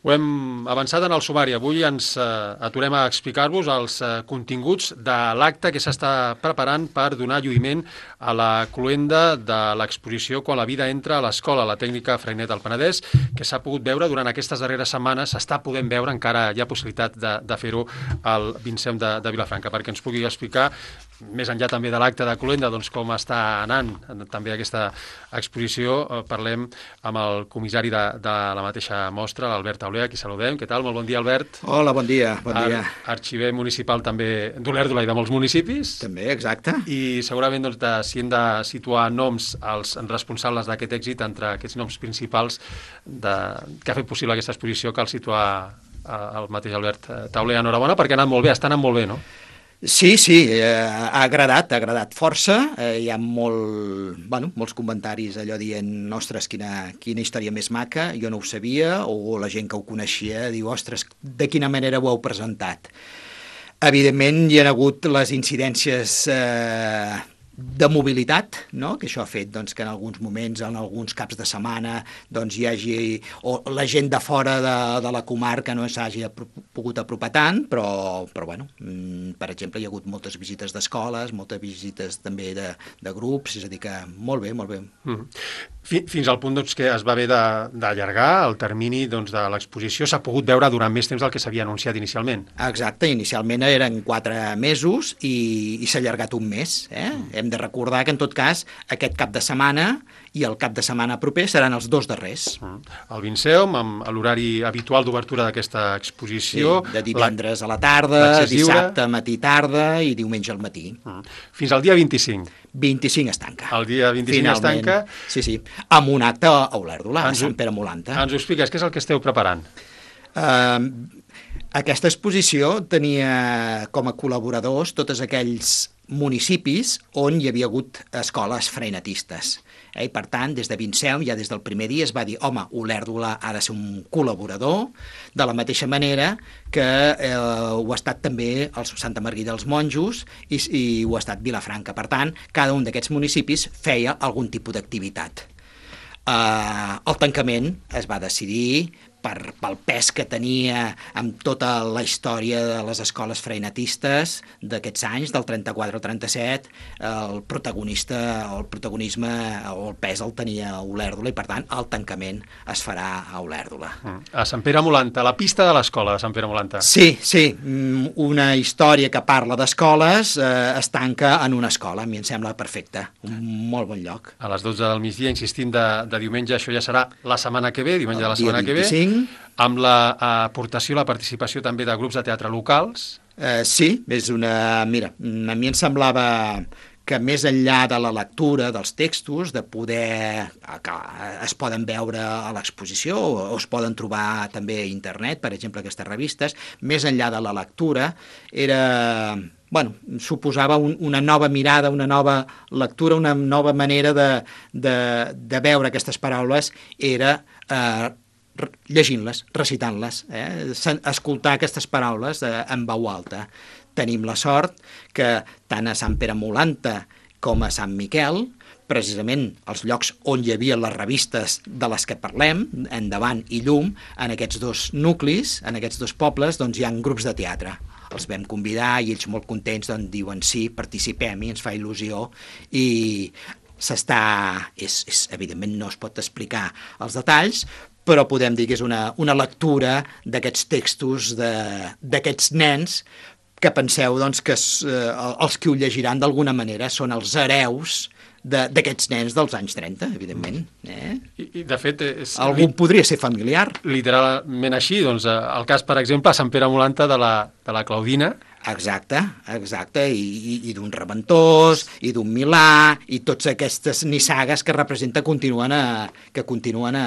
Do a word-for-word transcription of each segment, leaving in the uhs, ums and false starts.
Ho hem avançat en el sumari. Avui ens eh, aturem a explicar-vos els eh, continguts de l'acte que s'està preparant per donar lluïment a la cloenda de l'exposició Quan la vida entra a l'escola, la tècnica Freinet al Penedès, que s'ha pogut veure durant aquestes darreres setmanes, s'està podent veure, encara hi ha possibilitat de, de fer-ho al Vincent de, de Vilafranca, perquè ens pugui explicar, més enllà també de l'acte de cloenda, doncs com està anant també aquesta exposició. Eh, parlem amb el comissari de, de la mateixa mostra, l'Albert Tauler, a qui saludem. Què tal? Molt bon dia, Albert. Hola, bon dia. Bon dia. Ar arxiver municipal també d'Olèrdola i de molts municipis. També, exacte. I segurament doncs, de, si hem de situar noms als responsables d'aquest èxit, entre aquests noms principals de, que ha fet possible aquesta exposició, cal situar el mateix Albert Tauler. Enhorabona, perquè ha anat molt bé, està anant molt bé, no? Sí, sí, eh, ha agradat, ha agradat força. Eh, hi ha molt, bueno, molts comentaris allò dient, ostres, quina, quina història més maca, jo no ho sabia, o la gent que ho coneixia diu, ostres, de quina manera ho heu presentat. Evidentment hi ha hagut les incidències eh, de mobilitat, no? Que això ha fet doncs, que en alguns moments, en alguns caps de setmana, doncs, hi hagi, o la gent de fora de, de la comarca no s'hagi pogut apropar tant, però, però bueno, per exemple, hi ha hagut moltes visites d'escoles, moltes visites també de, de grups, és a dir que molt bé, molt bé. Mm. Fins al punt doncs, que es va haver d'allargar el termini doncs, de l'exposició, s'ha pogut veure durant més temps del que s'havia anunciat inicialment. Exacte, inicialment eren quatre mesos i, i s'ha allargat un mes. Eh? Mm. Hem de recordar que, en tot cas, aquest cap de setmana i el cap de setmana proper seran els dos darrers. Mm. El Vinceum, amb l'horari habitual d'obertura d'aquesta exposició. Sí, de divendres la... a la tarda, dissabte matí tarda i diumenge al matí. Mm. Fins al dia vint-i-cinc. vint-i-cinc es tanca. El dia vint-i-cinc Finalment, es tanca. Sí, sí, amb un acte a Olèrdola, a Sant Pere Molanta. Ens ho expliques, què és el que esteu preparant? Uh, aquesta exposició tenia com a col·laboradors tots aquells municipis on hi havia hagut escoles freinetistes. Eh? I per tant, des de Vinceum, ja des del primer dia es va dir, home, Olèrdola ha de ser un col·laborador, de la mateixa manera que eh, ho ha estat també el Santa Margarida dels Monjos i, i ho ha estat Vilafranca. Per tant, cada un d'aquests municipis feia algun tipus d'activitat. Eh, el tancament es va decidir per, pel pes que tenia amb tota la història de les escoles freinetistes d'aquests anys, del trenta-quatre al trenta-set, el protagonista o el protagonisme o el pes el tenia Olèrdola i, per tant, el tancament es farà a Olèrdola. A Sant Pere Molanta, la pista de l'escola de Sant Pere Molanta. Sí, sí, una història que parla d'escoles eh, es tanca en una escola, a mi em sembla perfecte, un molt bon lloc. A les dotze del migdia, insistim, de, de diumenge, això ja serà la setmana que ve, diumenge de la setmana que ve, amb l'aportació, la participació també de grups de teatre locals. Eh, sí, és una... Mira, a mi em semblava que més enllà de la lectura dels textos, de poder... que es poden veure a l'exposició o es poden trobar també a internet, per exemple, aquestes revistes, més enllà de la lectura, era... bueno, suposava un, una nova mirada, una nova lectura, una nova manera de, de, de veure aquestes paraules, era... Eh, llegint-les, recitant-les, eh? escoltar aquestes paraules eh, en veu alta. Tenim la sort que tant a Sant Pere Molanta com a Sant Miquel, precisament els llocs on hi havia les revistes de les que parlem, Endavant i Llum, en aquests dos nuclis, en aquests dos pobles, doncs hi ha grups de teatre. Els vam convidar i ells molt contents doncs, diuen sí, participem i ens fa il·lusió i s'està... És, és, evidentment no es pot explicar els detalls, però podem dir que és una, una lectura d'aquests textos d'aquests nens que penseu doncs, que es, eh, els que ho llegiran d'alguna manera són els hereus d'aquests nens dels anys trenta, evidentment. Eh? I, I, de fet... És, algú podria ser familiar. Literalment així, doncs, el cas, per exemple, a Sant Pere Molanta de la, de la Claudina. Exacte, exacte, i, i, i d'un Reventós, i d'un Milà, i totes aquestes nissagues que representa continuen a, que continuen a,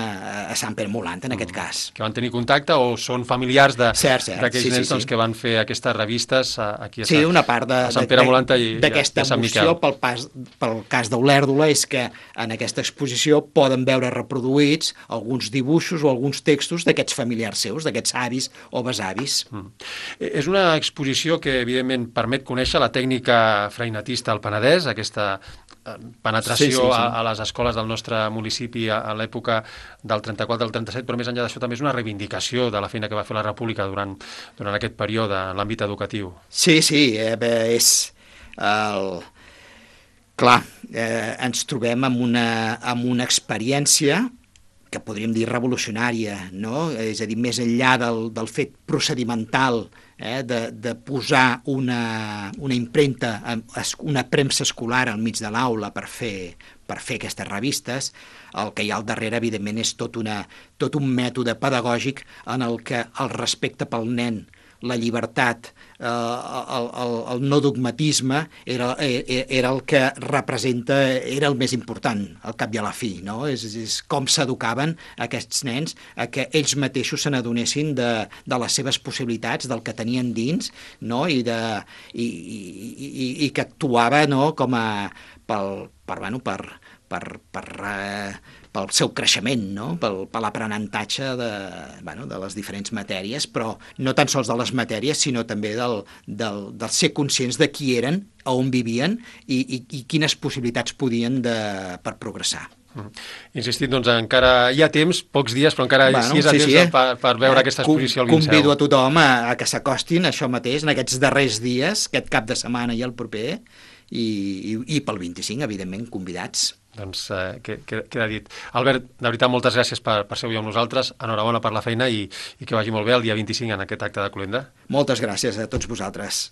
a Sant Pere Molanta, en mm. aquest cas. Que van tenir contacte o són familiars d'aquells sí, nens sí, doncs, sí. que van fer aquestes revistes aquí a, sí, Sant, una part de, a Sant Pere Molanta i, d'aquesta i a Sant Miquel. emoció pel, pas, pel cas d'Olèrdola és que en aquesta exposició poden veure reproduïts alguns dibuixos o alguns textos d'aquests familiars seus, d'aquests avis o besavis. Mm. És una exposició que perquè, evidentment, permet conèixer la tècnica freinatista al Penedès, aquesta penetració sí, sí, sí. A, a les escoles del nostre municipi a, a l'època del trenta-quatre al trenta-set, però més enllà d'això també és una reivindicació de la feina que va fer la República durant, durant aquest període en l'àmbit educatiu. Sí, sí, eh, bé, és... El... Clar, eh, ens trobem amb una, amb una experiència que podríem dir revolucionària, no? És a dir, més enllà del, del fet procedimental, eh, de, de posar una, una impremta, una premsa escolar al mig de l'aula per fer, per fer aquestes revistes, el que hi ha al darrere, evidentment, és tot, una, tot un mètode pedagògic en el que el respecte pel nen, la llibertat, eh, el, el, el no dogmatisme era, era el que representa, era el més important, al cap i a la fi, no? És, és com s'educaven aquests nens a que ells mateixos se n'adonessin de, de les seves possibilitats, del que tenien dins, no? I, de, i, i, i, i que actuava, no? Com a, pel, per, bueno, per, per, per, eh, pel seu creixement, no? Pel, per l'aprenentatge de, bueno, de les diferents matèries, però no tan sols de les matèries, sinó també del, del, del ser conscients de qui eren, a on vivien i, i, i quines possibilitats podien de, per progressar. Mm. Insistit, doncs encara hi ha temps, pocs dies, però encara bueno, sí és a sí, temps sí, eh? per, per veure eh, aquesta exposició al Liceu. Convido a tothom a, a que s'acostin, això mateix, en aquests darrers dies, aquest cap de setmana i el proper, i, i, i pel vint-i-cinc, evidentment, convidats. Doncs eh, queda dit. Albert, de veritat, moltes gràcies per, per ser avui amb nosaltres. Enhorabona per la feina i, i que vagi molt bé el dia vint-i-cinc en aquest acte de Cloenda. Moltes gràcies a tots vosaltres.